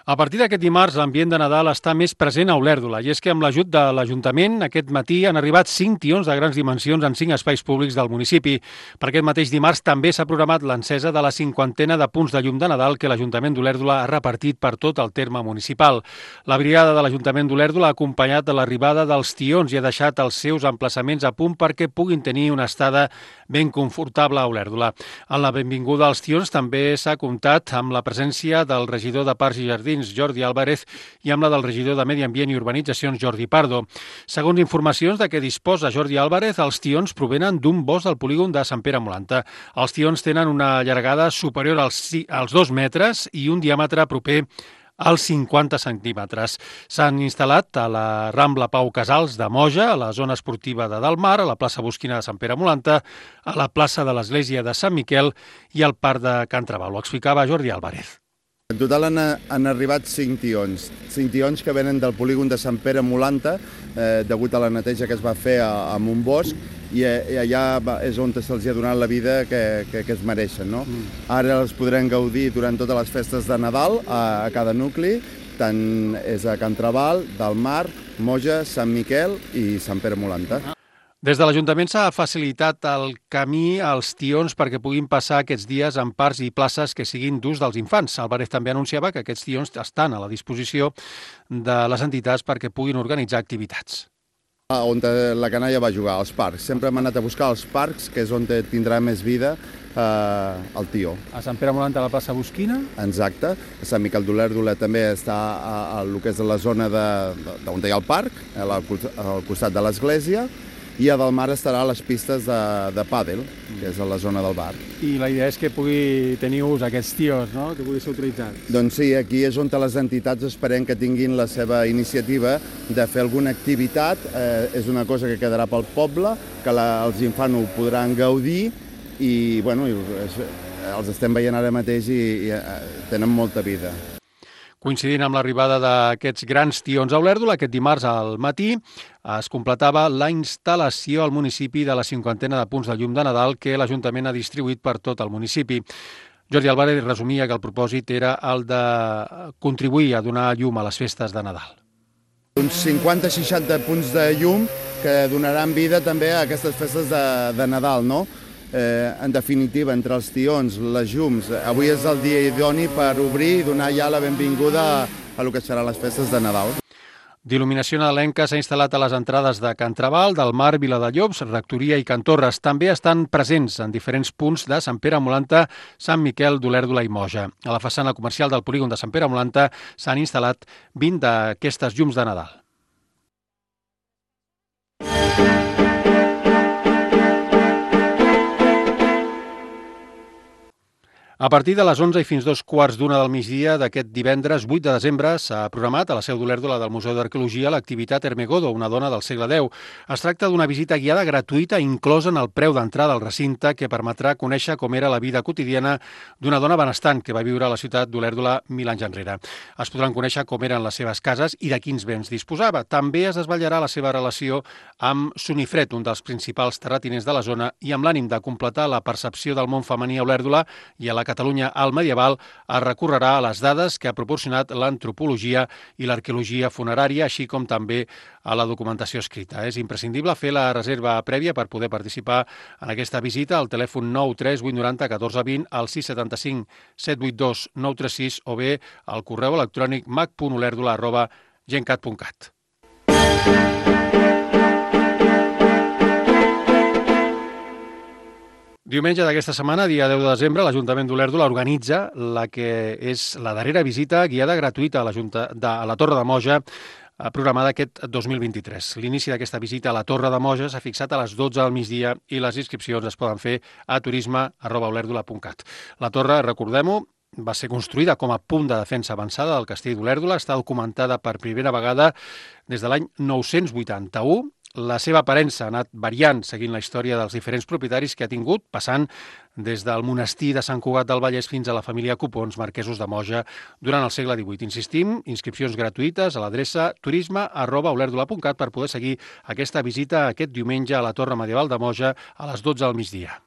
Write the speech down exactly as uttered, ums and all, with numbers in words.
A partir d'aquest dimarts, l'ambient de Nadal està més present a Olèrdola, i és que amb l'ajut de l'Ajuntament aquest matí han arribat cinc tions de grans dimensions en cinc espais públics del municipi. Per aquest mateix dimarts també s'ha programat l'encesa de la cinquantena de punts de llum de Nadal que l'Ajuntament d'Olèrdola ha repartit per tot el terme municipal. La brigada de l'Ajuntament d'Olèrdola ha acompanyat de l'arribada dels tions i ha deixat els seus emplaçaments a punt perquè puguin tenir una estada ben confortable a Olèrdola. En la benvinguda als tions també s'ha comptat amb la presència del regidor de Parcs i Jardins, Jordi Álvarez, i amb la del regidor de Medi Ambient i Urbanitzacions, Jordi Pardo. Segons informacions de què disposa Jordi Álvarez, els tions provenen d'un bosc del polígon de Sant Pere Molanta. Els tions tenen una llargada superior als, als dos metres i un diàmetre proper als cinquanta centímetres. S'han instal·lat a la Rambla Pau Casals de Moja, a la zona esportiva de Dalmar, a la plaça Bosquina de Sant Pere Molanta, a la plaça de l'Església de Sant Miquel i al parc de Can Traval. Ho explicava Jordi Álvarez. En total han, han arribat cinc tions, cinc tions que venen del polígon de Sant Pere Molanta, eh, degut a la neteja que es va fer a, a un bosc, i, i allà és on se'ls ha donat la vida que, que, que es mereixen. No? Mm. Ara els podrem gaudir durant totes les festes de Nadal a, a cada nucli, tant és a Can Traval, Dalmar, Moja, Sant Miquel i Sant Pere Molanta. Des de l'Ajuntament s'ha facilitat el camí als tions perquè puguin passar aquests dies en parcs i places que siguin d'ús dels infants. Álvarez també anunciava que aquests tions estan a la disposició de les entitats perquè puguin organitzar activitats. On la canalla va jugar, als parcs. Sempre hem anat a buscar els parcs, que és on tindrà més vida eh, el tió. A Sant Pere Molanta, a la plaça Bosquina? Exacte. A Sant Miquel d'Olèrdola també està a, a, a lo que és la zona de, de, on hi ha el parc, al, al costat de l'església, i a Dalmar estarà a les pistes de, de pàdel, que és a la zona del bar. I la idea és que pugui tenir ús aquests tios, no?, que pugui ser utilitzat. Doncs sí, aquí és on les entitats esperem que tinguin la seva iniciativa de fer alguna activitat. Eh, és una cosa que quedarà pel poble, que la, els infants ho podran gaudir i, bueno, els estem veient ara mateix i, i tenen molta vida. Coincidint amb l'arribada d'aquests grans tions a Olèrdola, aquest dimarts al matí es completava la instal·lació al municipi de la cinquantena de punts de llum de Nadal que l'Ajuntament ha distribuït per tot el municipi. Jordi Álvarez resumia que el propòsit era el de contribuir a donar llum a les festes de Nadal. Uns cinquanta a seixanta punts de llum que donaran vida també a aquestes festes de, de Nadal, no? Eh, en definitiva, entre els tions, les llums, avui és el dia idoni per obrir i donar ja la benvinguda a, a lo que seran les festes de Nadal. D'il·luminació nadalenca s'ha instal·lat a les entrades de Can Traval, del Mar, Viladellobs, Rectoria i Can Torres. També estan presents en diferents punts de Sant Pere Molanta, Sant Miquel d'Olèrdola i Moja. A la façana comercial del polígon de Sant Pere Molanta s'han instal·lat vint d'aquestes llums de Nadal. A partir de les onze i fins dos quarts d'una del migdia d'aquest divendres vuit de desembre s'ha programat a la seu d'Olèrdola del Museu d'Arqueologia l'activitat Ermegodo, una dona del segle deu. Es tracta d'una visita guiada gratuïta inclosa en el preu d'entrada al recinte que permetrà conèixer com era la vida quotidiana d'una dona benestant que va viure a la ciutat d'Olèrdola mil anys enrere. Es podran conèixer com eren les seves cases i de quins béns disposava. També es desvetllarà la seva relació amb Sonifred, un dels principals terratinents de la zona, i amb l'ànim de completar la percepció del món femení a Olèrdola i a la Catalunya al medieval, es recorrerà a les dades que ha proporcionat l'antropologia i l'arqueologia funerària, així com també a la documentació escrita. És imprescindible fer la reserva prèvia per poder participar en aquesta visita al telèfon nou tres vuit nou zero catorze vint, al sis set cinc set vuit dos nou tres sis o bé al correu electrònic mac punt olèrdola arroba gencat punt cat. Diumenge d'aquesta setmana, dia deu de desembre, l'Ajuntament d'Olèrdola organitza la que és la darrera visita guiada gratuïta a la, Junta, de, a la Torre de Moja, programada aquest dos mil vint-i-tres. L'inici d'aquesta visita a la Torre de Moja s'ha fixat a les dotze del migdia i les inscripcions es poden fer a turisme arroba olèrdola punt cat. La torre, recordem-ho, va ser construïda com a punt de defensa avançada del castell d'Olèrdola, està documentada per primera vegada des de l'any nou-cents vuitanta-u. La seva aparença ha anat variant seguint la història dels diferents propietaris que ha tingut, passant des del monestir de Sant Cugat del Vallès fins a la família Copons, marquesos de Moja, durant el segle divuit. Insistim, inscripcions gratuïtes a l'adreça turisme arroba olèrdola punt cat per poder seguir aquesta visita aquest diumenge a la Torre Medieval de Moja a les dotze del migdia.